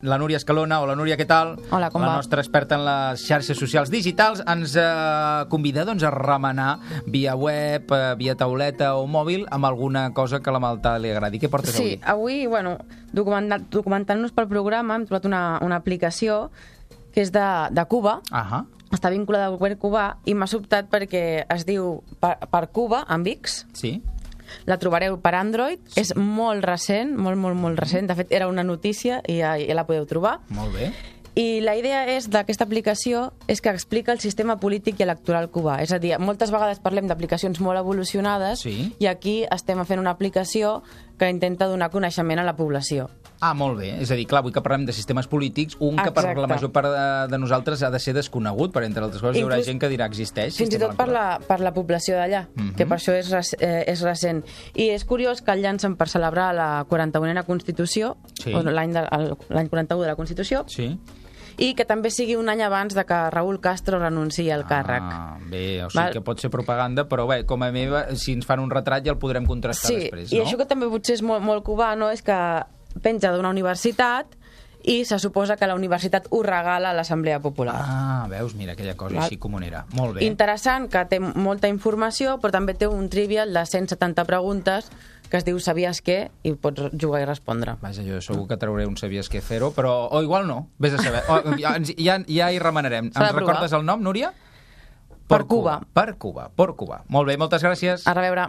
La Núria Escalona. Hola, Núria, què tal? Hola, com va? La nostra experta en les xarxes socials digitals ens convida doncs, a remenar via web, via tauleta o mòbil amb alguna cosa que a la Malta li agradi. Què portes avui? Sí, avui, documentant-nos pel programa, hem trobat una aplicació que és de Cuba, està vinculada al govern cubà i m'ha sobtat perquè es diu per Cuba, amb X. Sí. La trobareu per Android, sí. És molt recent, molt recent, de fet era una notícia i ja la podeu trobar. Molt bé. I la idea d'aquesta aplicació és que explica el sistema polític i electoral cubà. És a dir, moltes vegades parlem d'aplicacions molt evolucionades, sí. I aquí estem fent una aplicació que intenta donar coneixement a la població. Ah, molt bé. És a dir, clar, avui que parlem de sistemes polítics, que per la major part de nosaltres ha de ser desconegut, per entre altres coses hi haurà gent que dirà existeix. Fins i tot per la població d'allà, que per això és recent. I és curiós que el llancen per celebrar la 41a Constitució, sí. L'any 41 de la Constitució, sí. I que també sigui un any abans de que Raúl Castro renunciï al càrrec. Bé, o sigui que pot ser propaganda, però bé, com a meva, si ens fan un retrat ja el podrem contrastar després, no? I això que també potser és molt cubà, no?, és que penja d'una universitat i se suposa que la universitat ho regala a l'Assemblea Popular. Ah, veus, mira, aquella cosa així comunera. Molt bé. Interessant, que té molta informació, però també té un trivial de 170 preguntes que es diu Sabies què? I pots jugar i respondre. Vaja, jo segur que trauré un Sabies què fer-ho, però... O igual no, vés a saber. Ja hi remenarem. Ens recordes el nom, Núria? Per Cuba. Per Cuba. Molt bé, moltes gràcies. A reveure.